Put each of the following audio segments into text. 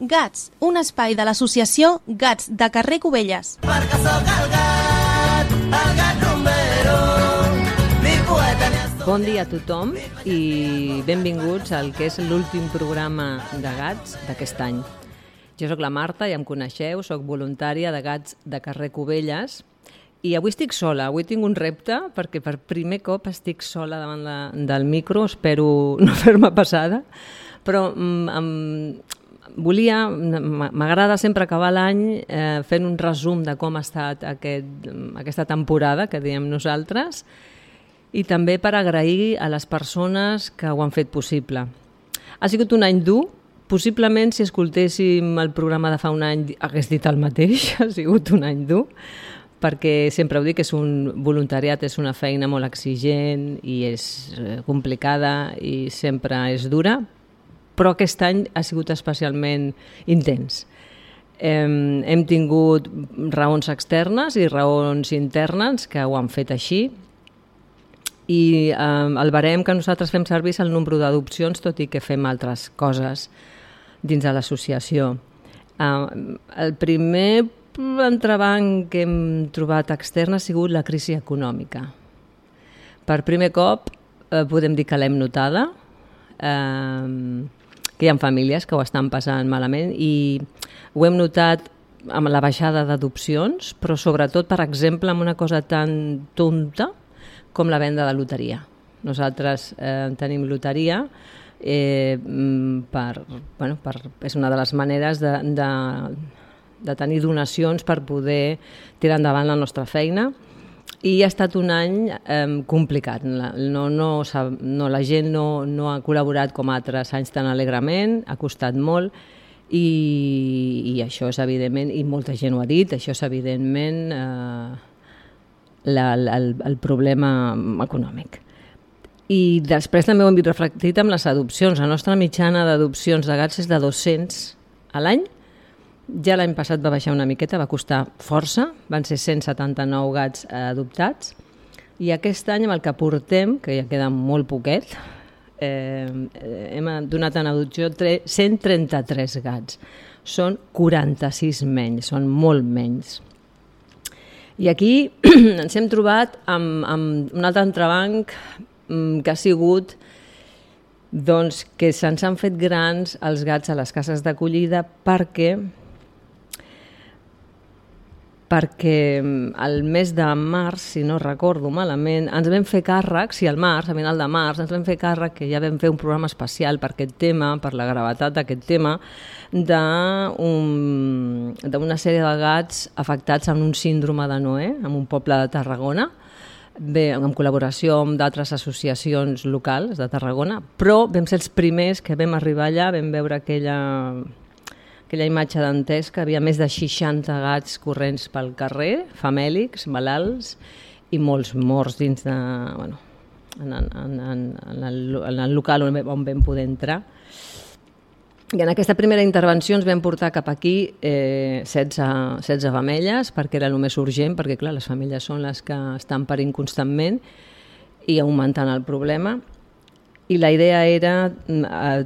Gats, un espai de l'associació Gats de carrer Cubelles. Perquè sóc el gat rumbero, mi poeta ni estoy... Bon dia a tothom i benvinguts al que és l'últim programa de Gats d'aquest any. Jo sóc la Marta, ja em coneixeu, sóc voluntària de Gats de carrer Cubelles i avui estic sola, avui tinc un repte perquè per primer cop estic sola davant del micro, espero no fer-me passada, però m'agrada sempre acabar l'any fent un resum de com ha estat aquesta temporada, que diem nosaltres, i també per agrair a les persones que ho han fet possible. Ha sigut un any dur, possiblement si escoltéssim el programa de fa un any hagués dit el mateix, ha sigut un any dur, perquè sempre ho dic, és un voluntariat, és una feina molt exigent i és complicada i sempre és dura, però aquest any ha sigut especialment intens. Hem tingut raons externes i raons internes que ho han fet així i el barem que nosaltres fem servir és el nombre d'adopcions, tot i que fem altres coses dins de l'associació. El primer entrebanc que hem trobat extern ha sigut la crisi econòmica. Per primer cop podem dir que l'hem notada, que hi ha famílies que ho estan passant malament i ho hem notat amb la baixada d'adopcions, però sobretot, per exemple, amb una cosa tan tonta com la venda de loteria. Nosaltres tenim loteria, és una de les maneres de tenir donacions per poder tirar endavant la nostra feina. I ha estat un any complicat. La gent no ha col·laborat com altres anys tan alegrement, ha costat molt i això és evidentment, i molta gent ho ha dit, això és evidentment el problema econòmic. I després també ho hem vist reflectit amb les adopcions. La nostra mitjana d'adopcions de gats és de 200 a l'any. Ja l'any passat va baixar una miqueta, va costar força, van ser 179 gats adoptats, i aquest any amb el que portem, que ja queda molt poquet, hem donat en adopció 133 gats. Són 46 menys, són molt menys. I aquí ens hem trobat amb un altre entrebanc que ha sigut doncs, que se'ns han fet grans els gats a les cases d'acollida perquè el mes de març, si no recordo malament, ens vam fer càrrec, a final de març, ens vam fer càrrec que ja vam fer un programa especial per aquest tema, per la gravetat d'aquest tema, d'una sèrie de gats afectats amb un síndrome de Noè, en un poble de Tarragona, en col·laboració amb d'altres associacions locals de Tarragona, però vam ser els primers que vam arribar allà, vam veure aquella imatge d'entès que havia més de 60 gats corrents pel carrer, famèlics, malalts, i molts morts dins de, en el local on vam poder entrar. I en aquesta primera intervenció ens vam portar cap aquí 16 femelles, perquè era el més urgent, perquè clar, les femelles són les que estan parint constantment i augmentant el problema. I la idea era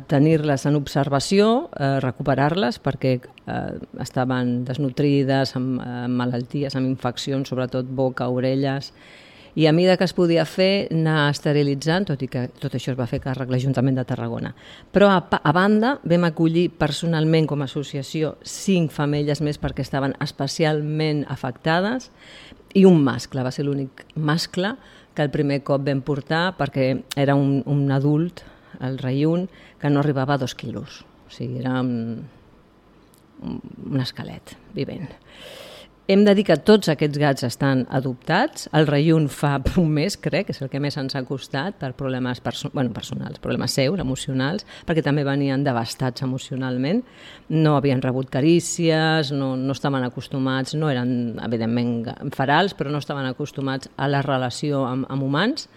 tenir-les en observació, recuperar-les perquè estaven desnutrides, amb malalties, amb infeccions, sobretot boca, orelles, i a mesura que es podia fer anar esterilitzant, tot i que tot això es va fer càrrec l'Ajuntament de Tarragona. Però a banda vam acollir personalment com a associació 5 femelles més perquè estaven especialment afectades i un mascle, va ser l'únic mascle que el primer cop vam portar perquè era un adult, el reiun, que no arribava a 2 quilos. O sigui, era un esquelet vivent. Hem de dir que tots aquests gats estan adoptats. El reiun fa un mes, crec, que és el que més ens ha costat per problemes personals, problemes seus, emocionals, perquè també venien devastats emocionalment. No havien rebut carícies, no estaven acostumats, no eren, evidentment, ferals, però no estaven acostumats a la relació amb humans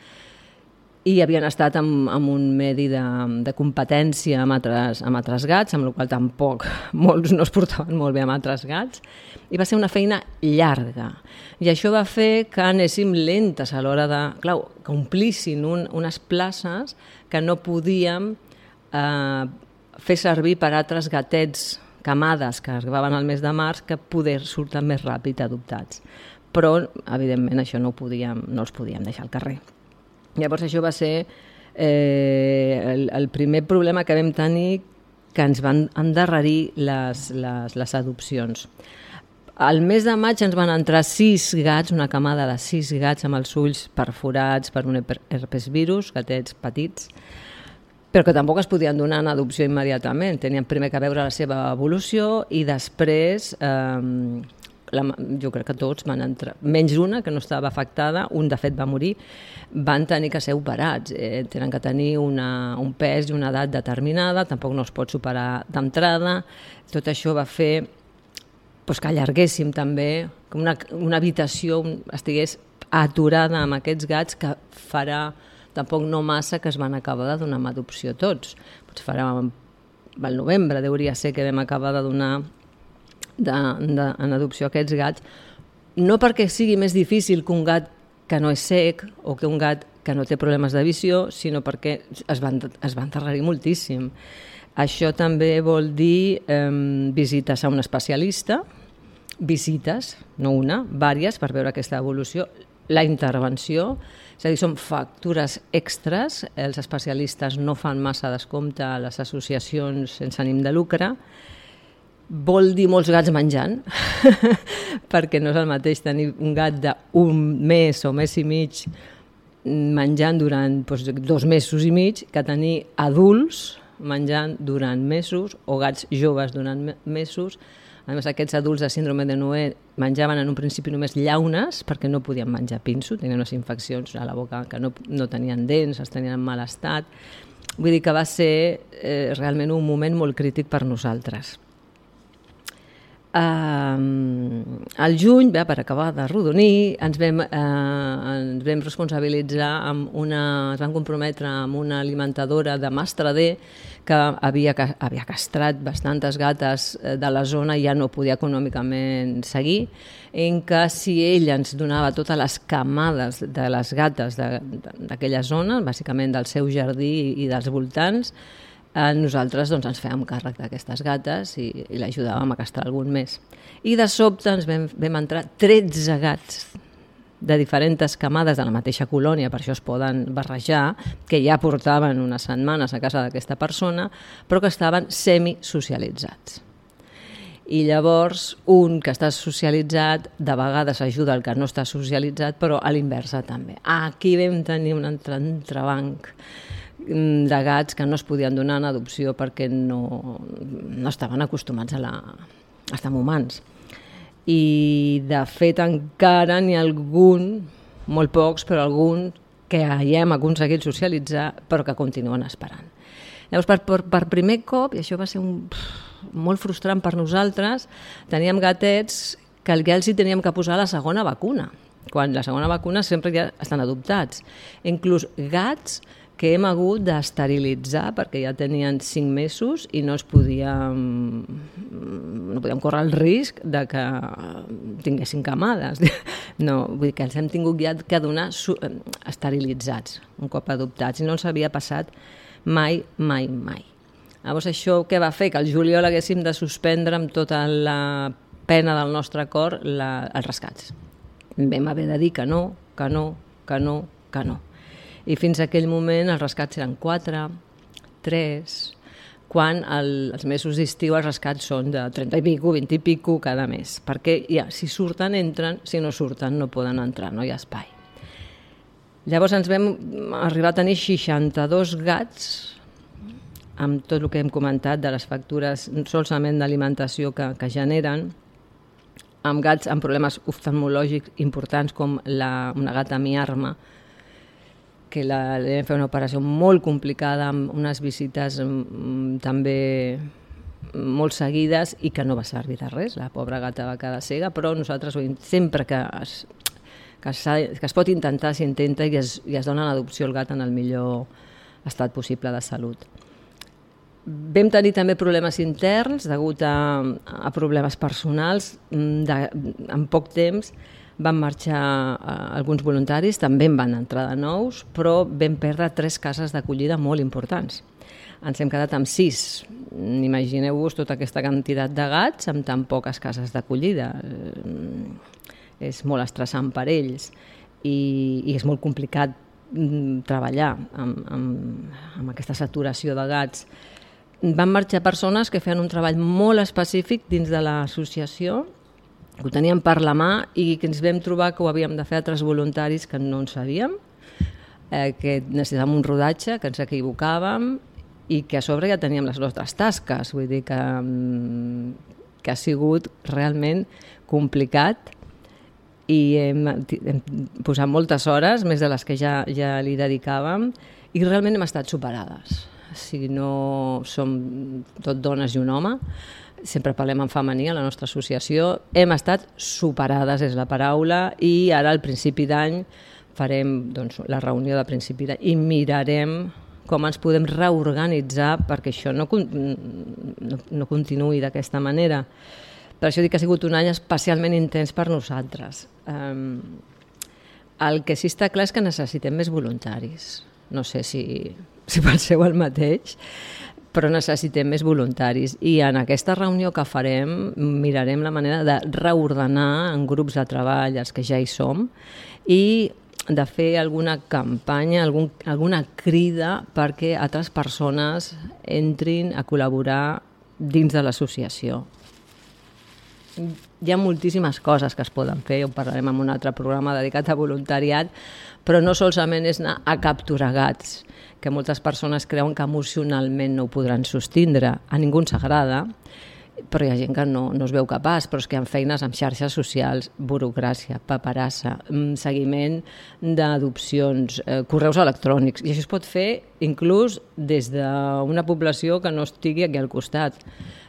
i havien estat en un medi de competència amb altres gats, amb la qual tampoc molts no es portaven molt bé amb altres gats, i va ser una feina llarga. I això va fer que anéssim lentes a l'hora de, clar, que omplissin unes places que no podíem fer servir per altres gatets camades que arribaven al mes de març que poder surten més ràpid adoptats. Però, evidentment, això no els podíem deixar al carrer. Llavors, això va ser el primer problema que vam tenir, que ens van endarrerir les adopcions. Al mes de maig ens van entrar 6 gats, una camada de 6 gats amb els ulls perforats per un herpesvirus, gatets petits, però que tampoc es podien donar en adopció immediatament. Tenien primer que veure la seva evolució i després, jo crec que tots van entrar, menys una que no estava afectada, un de fet va morir, van tenir que ser operats. Tenen que tenir un pes i una edat determinada, tampoc no es pot superar d'entrada. Tot això va fer que allarguéssim també, que una habitació estigués aturada amb aquests gats, que farà tampoc no massa que es van acabar de donar en adopció tots. Potser farà al novembre, hauria ser que vam acabar de donar en adopció aquests gats, no perquè sigui més difícil que un gat que no és cec o que un gat que no té problemes de visió, sinó perquè es van endarrerir moltíssim. Això també vol dir visites a un especialista, visites, no una, vàries, per veure aquesta evolució, la intervenció, és a dir, són factures extres, els especialistes no fan massa descompte a les associacions sense ànim de lucre, vol dir molts gats menjant, perquè no és el mateix tenir un gat d'un mes o mes i mig menjant durant 2 mesos i mig que tenir adults menjant durant mesos o gats joves durant mesos. A més, aquests adults de síndrome de Noè menjaven en un principi només llaunes perquè no podien menjar pinso, tenien unes infeccions a la boca que no tenien dents, els tenien en mal estat. Vull dir que va ser realment un moment molt crític per nosaltres. Al juny, per acabar de rodonir, ens vam responsabilitzar ens vam comprometre amb una alimentadora de Mastradé que havia castrat bastantes gates de la zona i ja no podia econòmicament seguir, en què si ell ens donava totes les camades de les gates d'aquella zona, bàsicament del seu jardí i dels voltants, nosaltres ens fèiem càrrec d'aquestes gates i l'ajudàvem a castrar algun més. I de sobte ens vam entrar 13 gats de diferents camades de la mateixa colònia, per això es poden barrejar, que ja portaven unes setmanes a casa d'aquesta persona, però que estaven semisocialitzats. I llavors un que està socialitzat de vegades ajuda el que no està socialitzat, però a l'inversa també. Aquí vam tenir un entrebanc de gats que no es podien donar en adopció perquè no estaven acostumats a estar amb humans. I de fet encara n'hi ha algun, molt pocs, però algun que ja hem aconseguit socialitzar però que continuen esperant. Llavors, per primer cop, i això va ser molt frustrant per nosaltres, teníem gatets que ja els hi teníem que posar la segona vacuna, quan la segona vacuna sempre ja estan adoptats. Inclús gats que hem hagut d'esterilitzar perquè ja tenien 5 mesos i no podíem córrer el risc de que tinguessin camades. No, vull dir que els hem tingut ja que donar esterilitzats un cop adoptats i no els havia passat mai. Llavors això què va fer? Que el juliol haguéssim de suspendre amb tota la pena del nostre cor els rescats. Vam haver de dir que no. I fins a aquell moment els rescats eren 4, 3, quan els mesos d'estiu els rescats són de 30 i pico, 20 i pico cada mes, perquè ja, si surten entren, si no surten no poden entrar, no hi ha espai. Llavors ens vam arribar a tenir 62 gats, amb tot el que hem comentat de les factures solament d'alimentació que generen, amb gats amb problemes oftalmològics importants com una gata miarma, que li vam fer una operació molt complicada amb unes visites també molt seguides i que no va servir de res, la pobra gata va quedar cega, però nosaltres sempre que es pot intentar, s'intenta i es dona l'adopció al gat en el millor estat possible de salut. Vam tenir també problemes interns degut a problemes personals. En poc temps van marxar alguns voluntaris, també en van entrar de nous, però vam perdre 3 cases d'acollida molt importants. ens hem quedat amb 6. Imagineu-vos tota aquesta quantitat de gats amb tan poques cases d'acollida. És molt estressant per ells i és molt complicat treballar amb aquesta saturació de gats. Van marxar persones que feien un treball molt específic dins de l'associació, que ho teníem per la mà i que ens vam trobar que ho havíem de fer altres voluntaris que no en sabíem, que necessitàvem un rodatge, que ens equivocàvem i que a sobre ja teníem les nostres tasques. Vull dir que ha sigut realment complicat i hem posat moltes hores, més de les que ja li dedicàvem, i realment hem estat superades. Si no som tot dones i un home, sempre parlem en femení a la nostra associació, hem estat superades, és la paraula, i ara al principi d'any farem la reunió de principi d'any i mirarem com ens podem reorganitzar perquè això no continuï d'aquesta manera. Per això dic que ha sigut un any especialment intens per nosaltres. El que sí està clar és que necessitem més voluntaris. No sé si penseu el mateix, però necessitem més voluntaris. I en aquesta reunió que farem mirarem la manera de reordenar en grups de treball els que ja hi som i de fer alguna campanya, alguna crida perquè altres persones entrin a col·laborar dins de l'associació. Hi ha moltíssimes coses que es poden fer, ho parlarem en un altre programa dedicat a voluntariat, però no solament és anar a capturar gats, que moltes persones creuen que emocionalment no ho podran sostindre. A ningú ens agrada, però hi ha gent que no es veu capaç, però és que hi ha feines amb xarxes socials, burocràcia, paperassa, seguiment d'adopcions, correus electrònics, i això es pot fer inclús des d'una població que no estigui aquí al costat.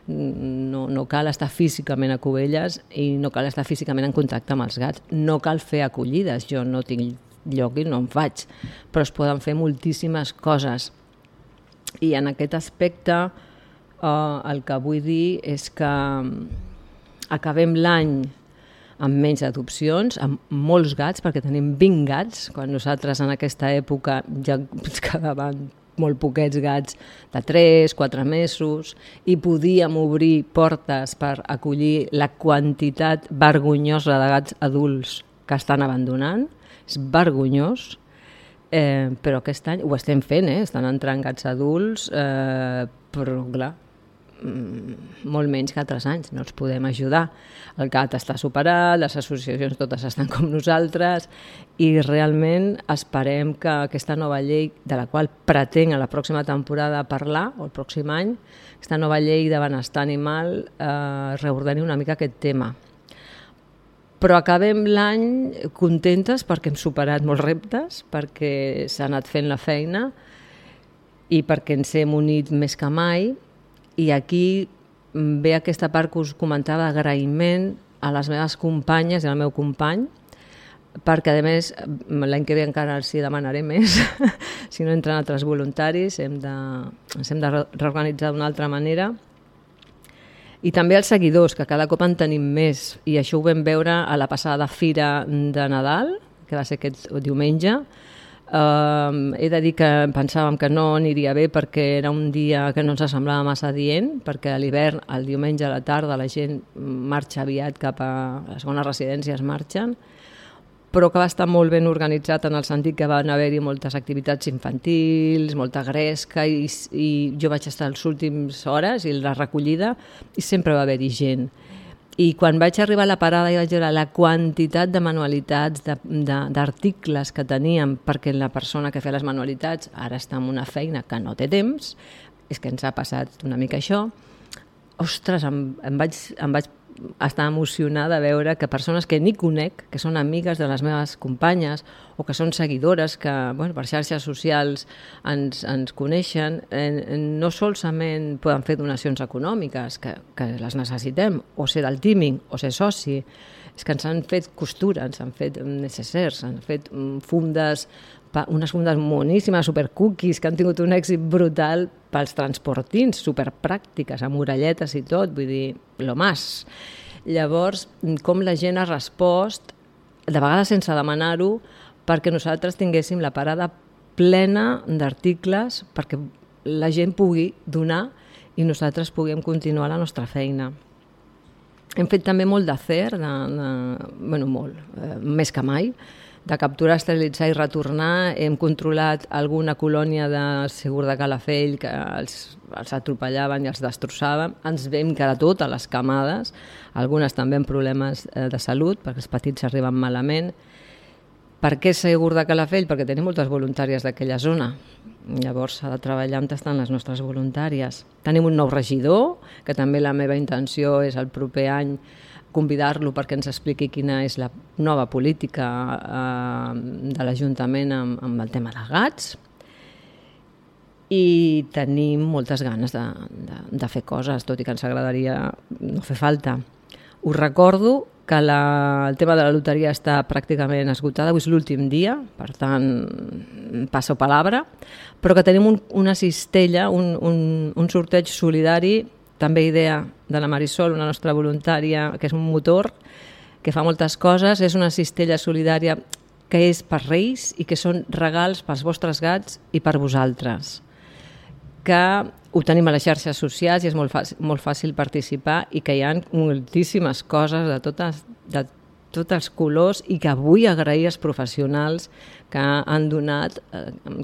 No cal estar físicament a Cubelles i no cal estar físicament en contacte amb els gats. No cal fer acollides, jo no tinc lloc i no en faig, però es poden fer moltíssimes coses. I en aquest aspecte el que vull dir és que acabem l'any amb menys adopcions, amb molts gats, perquè tenim 20 gats, quan nosaltres en aquesta època ja ens quedaven molt poquets gats de 3-4 mesos i podíem obrir portes per acollir la quantitat vergonyosa de gats adults que estan abandonant. És vergonyós, però aquest any ho estem fent, estan entrant gats adults, però clar, molt menys que altres anys, no els podem ajudar. El gat està superat, les associacions totes estan com nosaltres i realment esperem que aquesta nova llei, de la qual pretenc a la pròxima temporada parlar, o el pròxim any, aquesta nova llei de benestar animal reordeni una mica aquest tema. Però acabem l'any contentes perquè hem superat molts reptes, perquè s'ha anat fent la feina i perquè ens hem unit més que mai. I aquí ve aquesta part que us comentava d'agraïment a les meves companyes i al meu company, perquè a més l'any que ve encara els hi demanaré més, si no entren altres voluntaris, ens hem de reorganitzar d'una altra manera. I també els seguidors, que cada cop en tenim més, i això ho vam veure a la passada fira de Nadal, que va ser aquest diumenge. He de dir que pensàvem que no aniria bé perquè era un dia que no ens semblava massa adient, perquè a l'hivern, el diumenge a la tarda, la gent marxa aviat cap a les segones residències, marxen, però que va estar molt ben organitzat en el sentit que van haver-hi moltes activitats infantils, molta gresca, i jo vaig estar les últimes hores i la recollida i sempre va haver-hi gent. I quan vaig arribar a la parada i vaig veure la quantitat de manualitats, d'articles que teníem, perquè la persona que feia les manualitats ara està en una feina que no té temps, és que ens ha passat una mica això, ostres, em vaig estar emocionada de veure que persones que ni conec, que són amigues de les meves companyes o que són seguidores que per xarxes socials ens coneixen, no solament poden fer donacions econòmiques, que les necessitem, o ser del teaming, o ser soci, és que ens han fet costura, ens han fet necessers, han fet fundes, unes fundes moníssimes, supercookies, que han tingut un èxit brutal pels transportins, superpràctiques, amb orelletes i tot, vull dir, lo más. Llavors, com la gent ha respost, de vegades sense demanar-ho, perquè nosaltres tinguéssim la parada plena d'articles, perquè la gent pugui donar i nosaltres puguem continuar la nostra feina. Hem fet també molt d'acer, més que mai, de capturar, esterilitzar i retornar. Hem controlat alguna colònia de segur de Calafell que els atropellaven i els destrossaven. Ens vam quedar totes les camades, algunes també amb problemes de salut, perquè els petits arriben malament. Per què segur de Calafell? Perquè tenim moltes voluntàries d'aquella zona. Llavors s'ha de treballar on estan les nostres voluntàries. Tenim un nou regidor, que també la meva intenció és el proper any convidar-lo perquè ens expliqui quina és la nova política de l'Ajuntament amb el tema de gats. I tenim moltes ganes de fer coses, tot i que ens agradaria no fer falta. Us recordo que el tema de la loteria està pràcticament esgotada, avui és l'últim dia, per tant, passa palabra, però que tenim una cistella, un sorteig solidari, també idea de la Marisol, una nostra voluntària, que és un motor, que fa moltes coses. És una cistella solidària que és per Reis i que són regals pels vostres gats i per vosaltres, que ho tenim a les xarxes socials i és molt fàcil participar, i que hi ha moltíssimes coses de tots els colors, i que vull agrair als professionals que han donat,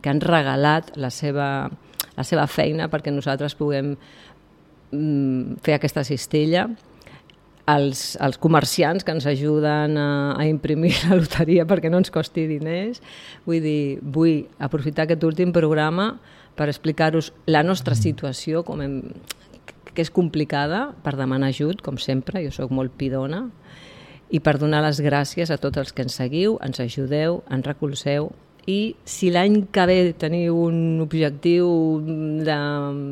que han regalat la seva feina perquè nosaltres puguem fer aquesta cistella, els comerciants que ens ajuden a imprimir la loteria perquè no ens costi diners. Vull aprofitar aquest últim programa per explicar-vos la nostra situació, que és complicada, per demanar ajut, com sempre, jo sóc molt pidona, i per donar les gràcies a tots els que ens seguiu, ens ajudeu, ens recolzeu. I si l'any que ve teniu un objectiu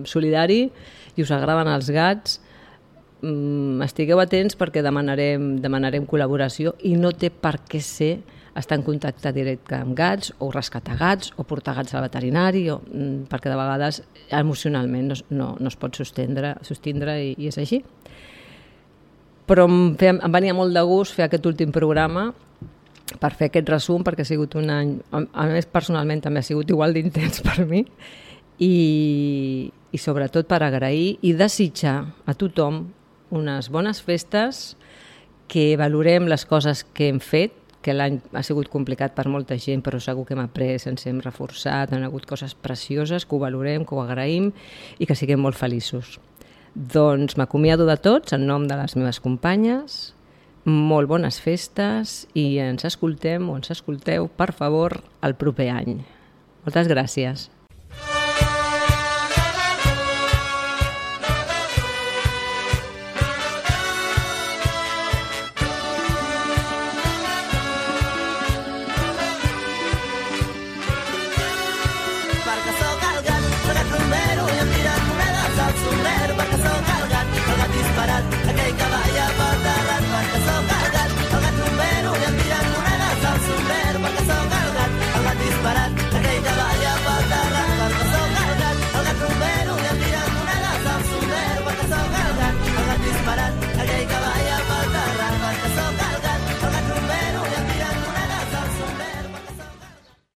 solidari i us agraden els gats, estigueu atents perquè demanarem col·laboració, i no té per què ser estar en contacte directe amb gats, o rescatar gats, o portar gats al veterinari, perquè de vegades emocionalment no es pot sostindre i és així. Però em venia molt de gust fer aquest últim programa per fer aquest resum, perquè ha sigut un any, a més personalment també ha sigut igual d'intens per mi, i sobretot per agrair i desitjar a tothom unes bones festes, que valorem les coses que hem fet, que l'any ha sigut complicat per molta gent, però segur que hem après, ens hem reforçat, han hagut coses precioses, que ho valorem, que ho agraïm i que siguem molt feliços. Doncs m'acomiado de tots en nom de les meves companyes, molt bones festes, i ens escoltem o ens escolteu, per favor, el proper any. Moltes gràcies. Perquè